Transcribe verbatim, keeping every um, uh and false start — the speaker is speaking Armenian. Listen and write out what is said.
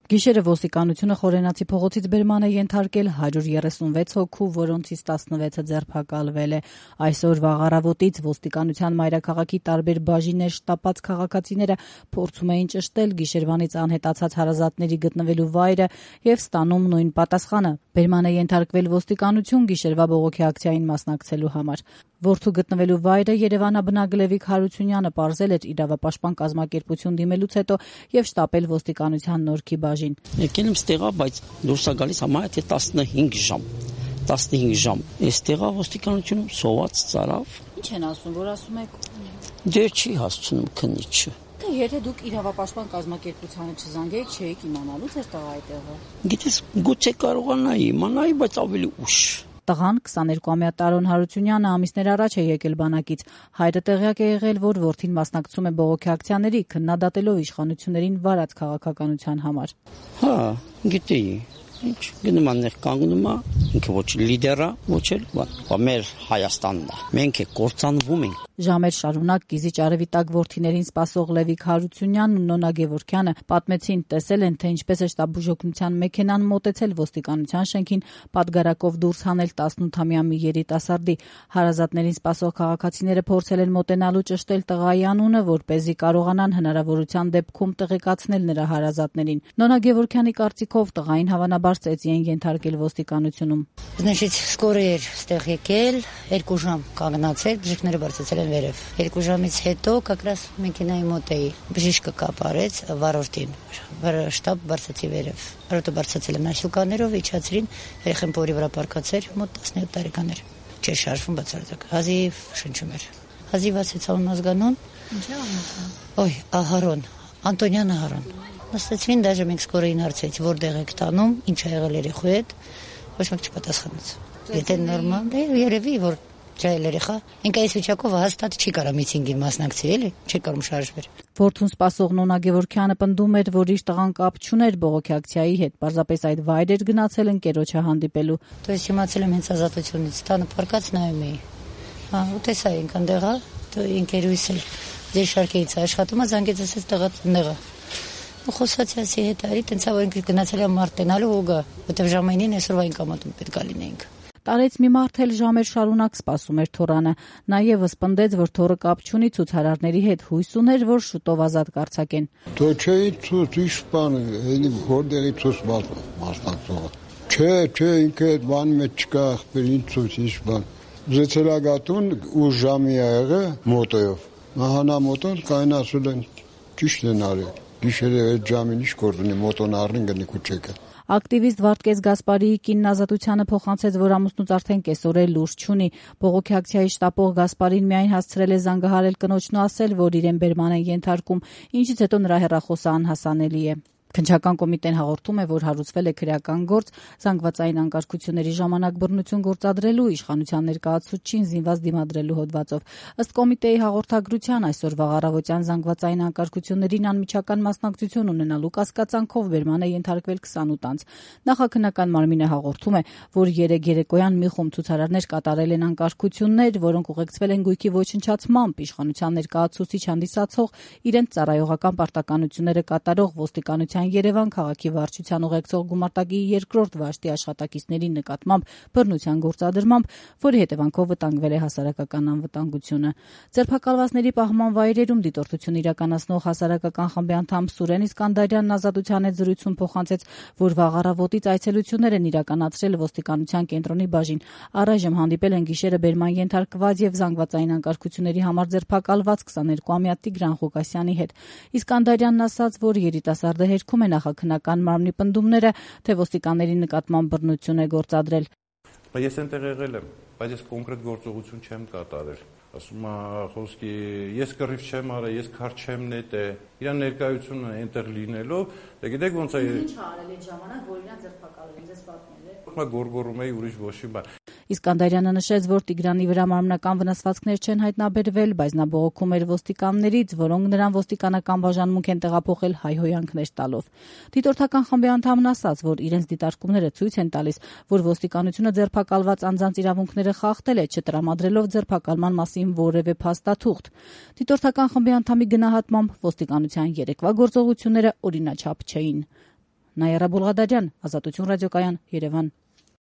Գիշերը ոստիկանությունը Խորենացի փողոցից բերման է ենթարկել հարյուր երեսունվեց հոգու, որոնցից տասնվեցը ձերբակալվել է։ Այսօր վաղ առավոտից ոստիկանության մայրաքաղաքի տարբեր բաժիններ շտապած քաղաքացիները փորձում էին ճշտել գիշերվանից անհետացած հարազատների գտնվելու վայրը եւ ստանում նույն պատասխանը։ Բերման է ենթարկվել ոստիկանություն գիշերվա բողոքի ակցիային մասնակցելու համար։ Որդու գտնվելու վայրը Երևանաբնակ Լևիկ Հարությունյանը պարզել էր իրավապաշտպան կազմակերպություն դիմելուց հետո եւ շտապել ոստիկանության Նորքի բաժին։ Եկել եմ ստեղա, բայց դուրս է գալիս համարյա թե տասնհինգ ժամ։ տասնհինգ ժամ։ Այստեղա ոստիկանությունում սոված ծարավ։ Ինչ են ասում, որ ասում եք։ Դե չի հասցնում քննիչը։ Եթե դուք իրավապաշտպան կազմակերպությանը չզանգեիք, չէիք իմանալու ձեր տղայի տեղը։ Գիտես, գուցե կարողանայի իմանայի, բայց ավելի ուշ։ Տղան քսաներկուամյա Տարոն Հարությունյանը ամիսներ առաջ է եկել բանակից։ Հայրը տեղյակ է եղել, որ որդին մասնակցում է բողոքի ակցիաների, քննադատելով իշխանություններին վարած քաղաքականության համար։ Հա, գիտեի։ Ինչ գնում աններ կանգնում է, ինքը ոչ լիդեր է, ոչ էլ բան, մեր Հայաստանն է։ Մենք է կործանվում ենք։ Ժամեր շարունակ Կիզիչ արևի տակ որդիներին սպասող Լևիկ Հարությունյանն ու Նոնա Գևորգյանը պատմեցին, տեսել են, թե ինչպես է շտաբուժօգնության մեքենան մոտեցել ոստիկանության շենքին, պատգարակով դուրս հանել տասնութամյա մի երիտասարդի։ Հարազատներին սպասող քաղաքացիները փորձել են մոտենալու ճշտել տղայի անունը, որպեսզի կարողանան հնարավորության դեպքում տեղեկացնել նրա հարազատներին։ Նոնա Գևորգյանի կարծիքով տղային հավանաբար ծեծի են ենթարկել ոստիկանությունում։ Значит, скоро էր ստեղ եկել, երկու ժամ կանգնացել, բժիշկները բարձրացել են վերև։ Երկու ժամից հետո как раз մեքենայի մոտ էի։ Բժիշկը կապարեց վարորդին, շտաբ բարձրացի վերև։ Վարորդը բարձրացել են այսուկաներով, իջացրին, երեխան փորի վրա պարկացեր, մոտ տասնյոթ տարեկան էր։ Չէր շարժվում բացարձակ։ Հազիվ շնչում էր։ Հազիվ ասեցան ազգանուն։ Ինչ է անունը։ Ոյ, Ահարոն, Անտոնյան Ահարոն։ Նստեցին, դաժե մենք սկորին հարցրեց, որտեղ եք տանում, ինչ ա եղել երեխու հետ, ոչ մեկ չպատասխանեց։ Եթե նորմալ է, երևի որ ջայլ երեխա, ինքը այս վիճակով հաստատ չի կարող միտինգին մասնակցել, էլի, չի կարող շարժվել։ Որդուն սպասող Նոնա Գևորգյանը պնդում էր, որ իր տղան կապ չուներ բողոքի ակցիայի հետ, պարզապես այդ վայր էր գնացել ընկերոջը հանդիպելու։ То есть իմացել եմ հենց ազատությունից, տանը պարկած նայում էի։ Հա, ու տեսա ինքն դեղա, то ընկերուհիս էլ ձեր շարքերից աշխատում է, զանգեց ասեց տղա տեղը։ Ու խոսացի ասի հետ արի, տենցա որ ինքը գնացել է մարտենալու ու գա, որտեվ ժամանին այսօրվա ինքամատում պետք է լինեինք։ Տարեց մի մարդ էլ ժամեր շարունակ սպասում էր թորանը։ Նա եւս պնդեց, որ թորը կապ չունի ցուցարարների հետ, հույս ուներ, որ շուտով ազատ կարձակեն։ Դե չէի ցույց իշխան, էլի որտեղի ցույց մասնակցող։ Չէ, չէ, ինքը այդ բանի մեջ չկա, ախպերին ցույց իշխան։ Զեցելագատուն ու ժամի ա եղը մոտոյով։ Մահանա մոտոն կայնասել են ճիշտ են արել։ Գիշերը այդ ժամին ինչ գործ ունի մոտոն առնին գնի քուչեկը։ Ակտիվիստ Վարդգես Գասպարիի կինն Ազատությանը փոխանցեց, որ ամուսնուց արդեն կեսօր լուրջ չունի։ Բողոքի ակցիայի շտապող Գասպարին միայն հասցրել է զանգահարել կնոջն ու ասել, որ իրեն բերման են ենթարկում, ինչից հետո նրա հեռախոսը անհասանելի է։ Քննչական կոմիտեն հաղորդում է, որ հարուցվել է քրեական գործ զանգվածային անկարգությունների ժամանակ բռնություն գործադրելու, իշխանության ներկայացուցչին զինված դիմադրելու հոդվածով։ Ըստ կոմիտեի հաղորդագրության այսօր վաղ առավոտյան զանգվածային անկարգություններին անմիջական մասնակցություն ունենալու կասկածանքով բերման է ենթարկվել քսանութ անձ։ Նախաքննական մարմինը հաղորդում է, որ երեկ երեկոյան մի խումբ ցուցարարներ կատարել են անկարգություններ, որոնք ուղեկցվել են գույքի ոչնչացմամբ, իշխանության ներկայացուցիչ հանդիսացող իրենց ծառայողական պարտականությունները կատարող ոստիկանության Երևան քաղաքի վարչության ուղեկցող գումարտակի երկրորդ վաշտի աշխատակիցների նկատմամբ բռնության գործադրմամբ, որի հետևանքով վտանգվել է հասարակական անվտանգությունը։ Ձերբակալվածների պահման վայրերում դիտորդություն իրականացնող հասարակական խմբի անդամ Սուրեն Իսկանդարյանն Ազատության հետ զրույցում փոխանցեց, որ վաղ առավոտից այցելություններ են իրականացրել ոստիկանության կենտրոնի բաժին։ Առայժմ հանդիպել են գիշերը բերման ենթարկված եւ զանգվածային անկարգությունների համար ձերբակալված քսաներկուամյա Տիգրան Ղուկասյանի հետ։ Իսկանդարյանն ասաց, որ երիտասարդը հերքում է նախաքննական մարմնի պնդումները, թե ոստիկանների նկատմամբ բռնություն է գործադրել։ Ես այնտեղ եղել եմ, բայց ես կոնկրետ գործողություն չեմ կատարել։ Ասում է խոսքի, ես կռիվ չեմ արել, ես քար չեմ նետել։ Իրան ներկայությունը այնտեղ լինելով, դե գիտեք ոնց է։ Ինչ արել այդ ժամանակ, որ իրան ձերբակալել են, ձեզ պատմել է։ Մա գորգորում էի ուրիշ ոչի բան։ Իսկանդարյանը նշեց, որ Տիգրանի վրա մարմնական վնասվածքներ չեն հայտնաբերվել, բայց նա բողոքում էր ոստիկաններից, որոնք նրան ոստիկանական բաժանմունք են տեղափոխել հայհոյանքներ տալով։ Դիտորդական խմբի անդամն ասաց, որ իրենց դիտարկումները ցույց են տալիս, որ ոստիկանությունը ձերբակալված անձանց իրավունքները խախտել է, չտրամադրելով ձերբակալման մասին որևէ փաստաթուղթ։ Դիտորդական խմբի անդամի գնահատմամբ ոստիկանության երեկվա գործողությունները օրինաչափ չէին։ Նայարա Բուլղադարյան, Ազատություն ռադիոկայան, Երևան։